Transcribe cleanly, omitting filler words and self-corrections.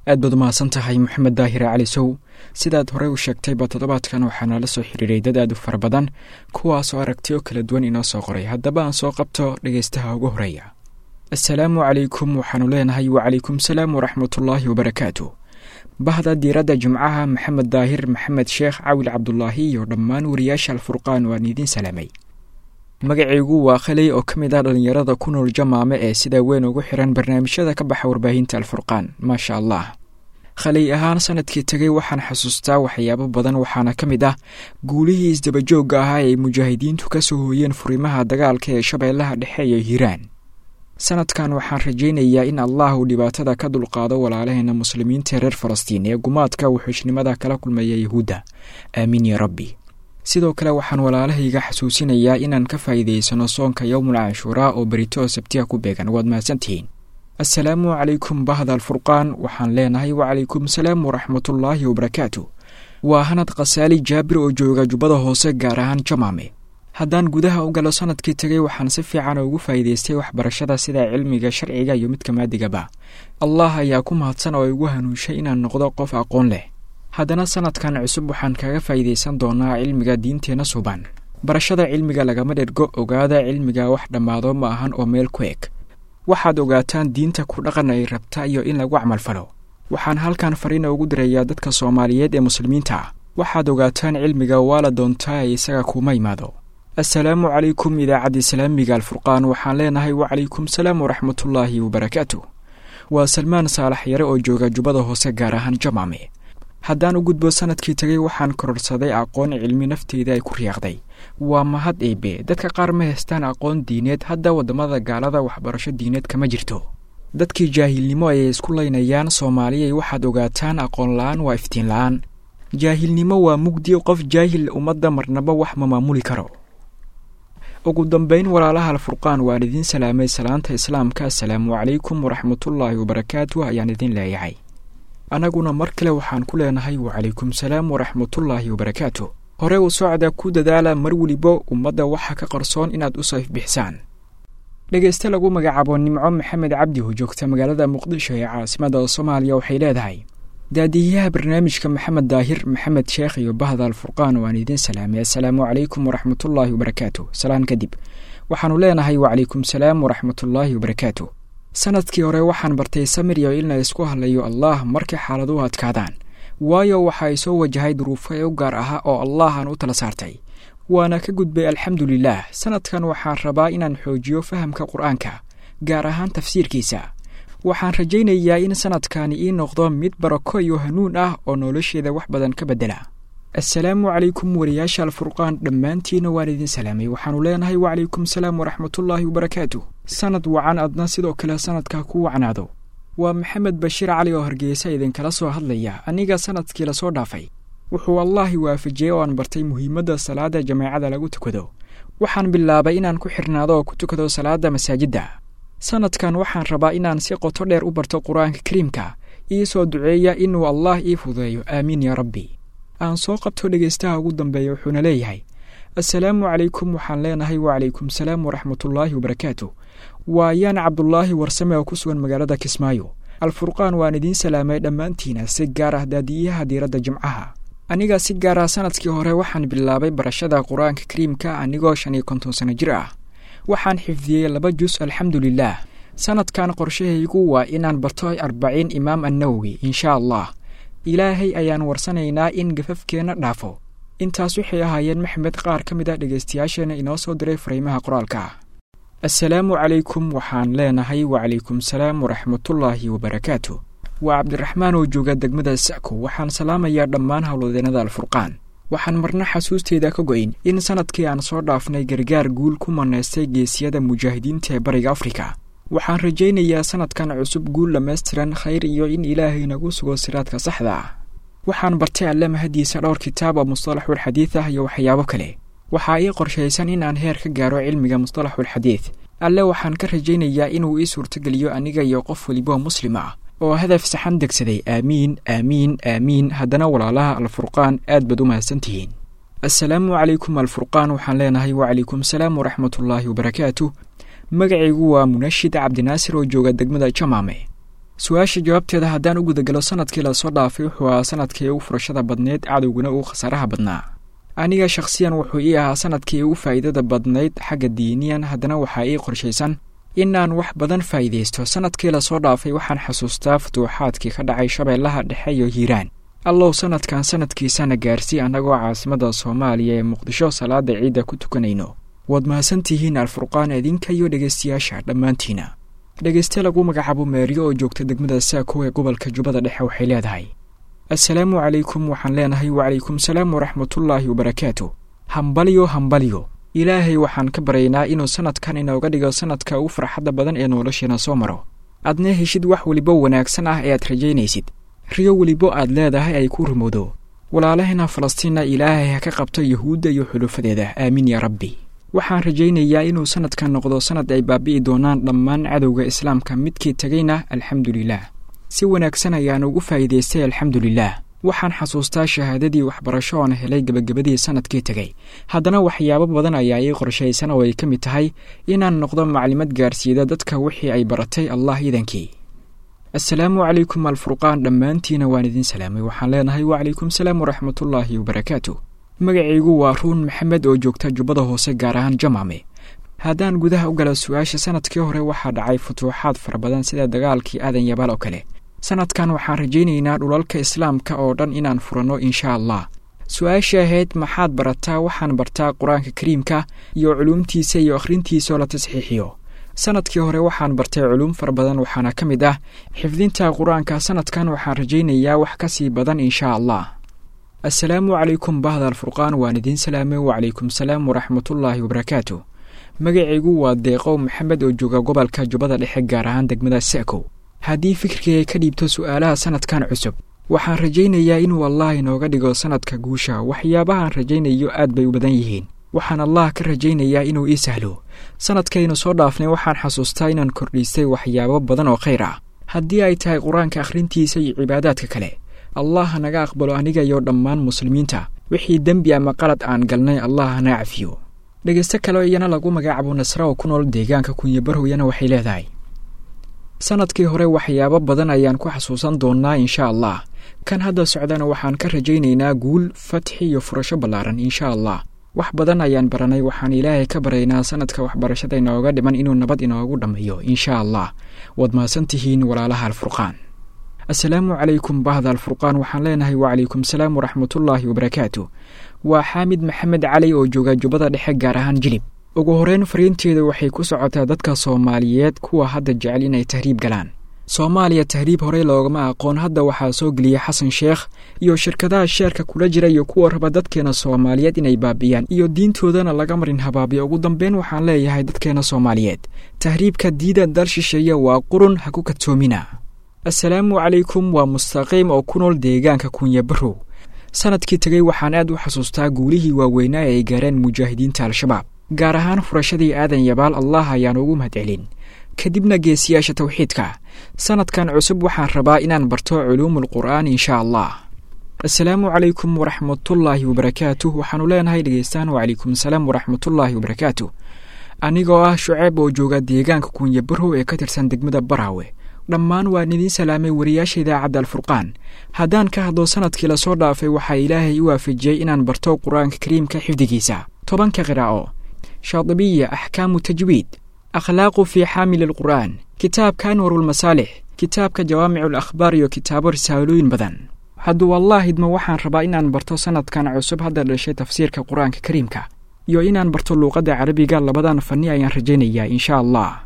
Aad baad umahadsan tahay, Maxamed Daahir Cali Sow. Sidaad horey u sheegtayba, toddobaadkan waxaa nala soo xiriiray dad aad u fara badan, kuwaasoo aragtiyo kala duwan inoo soo qoray. Haddaba aan soo qabto dhegaystaha ugu horeeya. Assalaamu calaykum. Waxaanu leenahay wacalaykum salaam waraxmatullaahi wabarakaatu. Bahda Diiradda Jimcaha, Maxamed Daahir Maxamed Sheekh, Cawil Cabdulaahi iyo dhammaan wariyaasha Alfurqaan, waan idiin salaamay. Magacaygu waa Khaley oo ka mid ah dhallinyarada ku nool Jamaame ee sida weyn ugu xiran barnaamijyada ka baxa warbaahinta Alfurqaan, maasha Allah. Khaley ahaan, sanadkii tegay waxaan xasuustaa waxyaabo badan, waxaana ka mid ah guulihii isdabajoogga ahaa ee mujaahidiintu ka soo hooyeen furimaha dagaalka ee Shabeellaha Dhexe iyo Hiiraan. Sanadkan waxaan rajaynayaa in Allah uu dhibaatada ka dulqaado walaalaheena Muslimiinta reer Falastiin ee gumaadka wuxuushnimada kala kulmaya Yahuudda. Aamiin ya Rabbi. Sidoo kale waxaan walaalahayga xasuusinayaa inaan ka faa'iidaysano soonka Yowmul Canshuuraa oo berito Sabtiya ku beegan. Waad mahadsantihiin. Assalaamu calaykum bahda Alfurqaan. Waxaan leenahay wacalaykum salaam waraxmatullaahi wabarakaatu. Waa Hanad Khasaali Jaabir oo jooga Jubbada Hoose, gaar ahaan Jamaame. Haddaan gudaha u galo sanadkii tegay, waxaan si fiican ugu faa'iidaystay waxbarashada, sida cilmiga sharciga iyo midka maadigaba. Allah ayaa ku mahadsan oo igu hanuunshay inaan noqdo qof aqoon leh. Haddana sanadkan cusub waxaan kaga faa'iidaysan doonaa cilmiga diinteenna suban. Barashada cilmiga lagama dhergo. Ogaada, cilmiga wax dhammaado ma ahan oo meel ku eg. Waxaad ogaataan diinta ku dhaqan ay rabta iyo in lagu camalfalo. Waxaan halkan fariina ugu dirayaa dadka Soomaaliyeed ee Muslimiinta ah: waxaad ogaataan cilmiga waa la doontaa ee isaga kuma imaado. Assalaamu calaykum idaacadda Islaamiga Alfurqaan. Waxaan leenahay wacalaykum salaam waraxmatullaahi wabarakaatu. Waa Salmaan Saalax Yare oo jooga Jubbada Hoose, gaar ahaan Jamaame. Haddaan u gudbo sanadkii tegay, waxaan kororsaday aqoon cilmi nafteyda ay ku riyaaqday. Waa mahad Eebe. Dadka qaar ma haystaan aqoon diineed. Hadda waddamada gaalada waxbarasho diineed kama jirto, dadkii jaahilnimo ayay isku laynayaan. Soomaaliyay, waxaad ogaataan aqoon la-aan waa iftiin la-aan, jaahilnimo waa mugdi. Qof jaahil ummadda marnaba wax ma maamuli karo. Ugu dambeyn, walaalaha Alfurqaan, waan idiin salaamay salaanta Islaamka. Assalaamu calaykum waraxmatullaahi wabarakaatu ayaan idin leeyahay. Annaguna mar kale waxaan ku leenahay wacalaykum salaam waraxmatullaahi wabarakaatu. Hore u socda, ku dadaala mar weliba ummadda waxa ka qarsoon inaad u sayf bixisaan. Dhegayste lagu magacaabo Nimco Maxamed Cabdi oo joogta magaalada Muqdisho ee caasimada Soomaaliya waxay leedahay: daadiyaha barnaamijka Maxamed Daahir Maxamed Sheekh iyo bahda Alfurqaan, waan idiin salaamay. Assalaamu calaykum waraxmatullaahi wabarakaatu. Salaan kadib, waxaanu leenahay wacalaykum salaam waraxmatullaahi wabarakaatu. Sanadkii hore waxaan bartay samir iyo in la isku hadlayo Allah markay xaaladuhu adkaadaan, waayo waxa ay soo wajahay duruufo ee u gaar ahaa oo Allah aan u tala saartay, waana ka gudbay, alxamdulilaah. Sanadkan waxaan rabaa inaan xoojiyo fahamka Qur-aanka, gaar ahaan tafsiirkiisa. Waxaan rajaynayaa in sanadkani ii noqdo mid barako iyo hanuun ah oo nolosheeda wax badan ka beddela. Assalaamu calaykum wariyaasha Alfurqaan, dhammaantiina waan idin salaamay. Waxaanu leenahay wacalaykum salaam waraxmatullaahi wabarakaatu. Sanad wacan, adna sidoo kale sanadka ku wacnaado. Waa Maxamed Bashiir Cali oo Hargeysa idinkala soo hadlaya. Aniga sanadkii lasoo dhaafay wuxuu Allaahi waafajiyey oo aan bartay muhiimadda salaada jameecada lagu tukado. Waxaan bilaabay inaan ku xirnaado oo ku tukado salaada masaajidda. Sanadkan waxaan rabaa inaan si qoto dheer u barto Qur-aanka Kariimka. Ii soo duceeya inuu Allah ii fududeeyo. Aamiin yaa Rabbi. Aan soo qabto dhegaystaha ugu dambeeya, wuxuuna leeyahay: assalaamu calaykum. Waxaan leenahay wacalaykum salaam waraxmatullaahi wabarakaatu. Waa Yaan Cabdulaahi Warsame oo ku sugan magaalada Kismaayo. Alfurqaan, waan idiin salaamay dhammaantiina, si gaar ah daadiyaha Diiradda Jimcaha. Aniga si gaar ah sanadkii hore waxaan bilaabay barashada Qur-aanka Kariimka anigoo 55 sano jir ah. Waxaan xifdiyey 2 jus, alxamdulilaah. Sanadkan qorshahaygu waa inaan barto 40 Imaam Annawowi, insha Allah. Ilaahay ayaan warsanaynaa in gafafkeenna dhaafo. Intaas waxay ahaayeen, Maxamed, qaar ka mid ah dhegaystayaasheena inoo soo diray fariimaha qoraalka. Assalaamu calaykum. Waxaan leenahay wacalaykum salaam waraxmatullaahi wabarakaatu. Waa Cabdiraxmaan oo jooga degmada Sako. Waxaan salaamayaa dhammaan howlwadeennada Alfurqaan. Waxaan marna xasuusteeda ka go'in in sanadkii aan soo dhaafnay gargaar guul ku manaystay geesiyada mujaahidiinta ee Bariga Afrika. Waxaan rajaynayaa sanadkan cusub guul dhammaystiran, khayr iyo in Ilaahay nagu sugo siraadka saxda ah. Waxaan bartay, Alle mahadiisa, dhowr kitaab oo mustalaxulxadiid ah iyo waxyaabo kale. Waxaa ii qorshaysan in aan heer ka gaaro cilmiga mustalaxulxadiid. Alle waxaan ka rajaynayaa inuu ii suurtogeliyo aniga iyo qof weliba muslim ah oo hadaf saxan degsaday. Aamiin, aamiin, aamiin. Haddana walaalaha Alfurqaan, aad baad u mahadsantihiin. Assalaamu calaykum Alfurqaan. Waxaan leenahay wacalaykum salaam waraxmatullaahi wabarakaatu. Magacaygu waa Munashid Cabdinaasir oo jooga degmada Jamaame. Su-aasha jawaabteeda haddaan u gudagalo, sanadkii lasoo dhaafay wuxuu ahaa sanadkii ugu furashada badneyd, cadowguna ugu khasaaraha badnaa. Aniga shakhsiyan wuxuu ii ahaa sanadkii ugu faa'iidada badnayd xagga diiniyan, haddana waxaa ii qorshaysan inaan wax badan faa'iidaysto. Sanadkii lasoo dhaafay waxaan xasuustaa futuuxaadkii ka dhacay Shabeellaha Dhexe iyo Hiiraan. Allow sanadkan sanadkiisana gaarsii annagoo caasimadda Soomaaliya ee Muqdisho salaada ciidda ku tukanayno. Waad mahadsantihiin Alfurqaan, idinka iyo dhegaystayaasha dhammaantiina. Dhegayste lagu magacaabo Meeriyo oo joogta degmada Saako ee gobolka Jubbada Dhexe waxay leedahay: Assalaamu calaykum. Waxaan leenahay wacalaykum salaam waraxmatullaahi wabarakaatu. Hambalyo, hambalyo. Ilaahay waxaan ka baryaynaa inuu sanadkan inooga dhigo sanadka ugu farxadda badan ee nolosheena soo maro, aadna heshid wax welibo wanaagsan ah ee aad rajaynaysid, riyo welibo aad leedahay ay ku rumowdo. Walaalaheena Falastiinna Ilaahay ha ka qabto Yuhuudda iyo xulufadeeda, aamiin yaa rabbi. Waxaan rajaynayaa inuu sanadkan noqdo sanad ay baabi'i doonaan dhammaan cadowga Islaamka, midkii tegayna alxamdulilaah si wanaagsan ayaan ugu faa'iidaystay, alxamdulilaah. Waxaan xasuustaa shahaadadii waxbarasho oon helay gebagabadii sanadkii tegay. Haddana waxyaabo badan ayaa ii qorshaysan oo ay ka mid tahay inaan noqdo maclimad gaarsiida dadka wixii ay baratay, Allah iidankii. Assalaamu calaykum Alfurqaan, dhammaantiina waan idin salaamay. Waxaan leenahay wacalaykum salaam waraxmatullaahi wabarakaatu. Magacaygu waa Ruun Maxamed oo joogta Jubbada Hoose, gaar ahaan Jamaame. Haddaan gudaha u gala su-aasha, sanadkii hore waxaa dhacay futuuxaad fara badan sida dagaalkii Aadan Yabaal oo kale. Sanadkan waxaan rajaynaynaa dhulalka Islaamka oo dhan inaan furanno insha Allah. Su-aasha ahayd maxaad barataa? Waxaan bartaa Qur-aanka Kariimka iyo culuumtiisa iyo akhrintiisa oo la tasxiixiyo. Sanadkii hore waxaan bartay culuum fara badan, waxaana ka mid ah xifdinta Qur-aanka. Sanadkan waxaan rajaynayaa wax ka sii badan insha Allah. Assalaamu calaykum bahda Alfurqaan, waan idiin salaamay. Wacalaykum salaam waraxmatullaahi wabarakaatu. Magacaygu waa Deeqow Maxamed oo jooga gobolka Jubbada Dhexe, gaar ahaan degmada Sa'kow. Haddii fikirkayga ka dhiibto su'aalaha sanadkan cusub, waxaan rajaynayaa inuu Allah inooga dhigo sanadka guusha. Waxyaabahaan rajaynayo aad bay u badan yihiin, waxaan Allah ka rajaynayaa inuu ii sahlo. Sanadkaynu soo dhaafnay waxaan xasuustaa inaan kordhiistay waxyaabo badan oo khayr ah, haddii ay tahay Qur-aanka akhrintiisa iyo cibaadaadka kale. Allah hanaga aqbalo aniga iyo dhammaan muslimiinta, wixii dembi ama qalad aan galnay Allah hana cafiyo. Dhegaysto kale iyana lagu magacaabo Nasra oo ku nool deegaanka Kunyabarhowyana waxay leedahay: Sanadkii hore waxyaabo badan ayaan ku xasuusan doonaa insha Allah. Kan hadda socdana waxaan ka rajaynaynaa guul, fatxi iyo furasho ballaaran insha Allah. Wax badan ayaan baranay, waxaan Ilaahay ka baraynaa sanadka waxbarashada inooga dhiman inuu nabad inoogu dhammeeyo insha Allah. Waad mahadsan tihiin walaalaha Alfurqaan. Assalaamu calaykum bahda Alfurqaan. Waxaan leenahay wacalaykum salaam waraxmatullaahi wabarakaatu. Waa Xaamid Maxamed Cali oo jooga Jubbada Dhexe, gaar ahaan Jilib. Ugu horeyn fariinteeda waxay ku socotaa dadka Soomaaliyeed kuwa hadda jecel inay tahriib galaan. Soomaaliya tahriib horey loogama aqoon, hadda waxaa soo geliyey Xasan Sheekh iyo shirkadaha sheerka kula jira iyo kuwa raba dadkeena Soomaaliyeed inay baabi'iyaan iyo diintoodana laga marin habaabiyo. Ugu dambeyn waxaan leeyahay dadkeena Soomaaliyeed, tahriibka diida, dal shisheeye waa qurun, ha ku kadsoomina. Assalaamu calaykum, waa Mustaqiim oo ku nool deegaanka Kunyabarow. Sanadkii tegey waxaan aad u xasuustaa guulihii waaweynaa ee ay gaareen mujaahidiinta Al-Shabaab, gaar ahaan furashadii Aadan Yabaal, Allah ayaan ugu mahadcelin, kadibna geesiyaasha tawxiidka. Sanadkan cusub waxaan rabaa inaan barto culuumul qur'aan insha Allah. Assalaamu calaykum waraxmatullaahi wabarakaatuh. Waxaanu leenahay dhegeystaan wacalaykum salaam waraxmatullaahi wabarakaatu. Anigoo ah Shuceeb oo jooga deegaanka Kunyabarow ee ka tirsan degmada Baraawe, dhammaan waan idiin salaamay wariyaasha idaacadda Alfurqaan. Haddaan ka hadlo sanadkii lasoo dhaafay, waxaa Ilaahay i waafajiyey inaan barto Qur-aanka Kariimka xifdigiisa, 10ka qiraa'o, Shaadibiya, axkaamu tajwiid, akhlaaqu fii xaamili alqur'aan, kitaabka Anwarulmasaalix, kitaabka Jawaamicu alakhbaar iyo kitaabo risaalooyin badan. Hadduu Allah idmo, waxaan rabaa inaan barto sanadkan cusub hadda dhashay tafsiirka Qur-aanka Kariimka iyo inaan barto luuqadda Carabiga. Labadan fanni ayaan rajaynayaa insha Allah.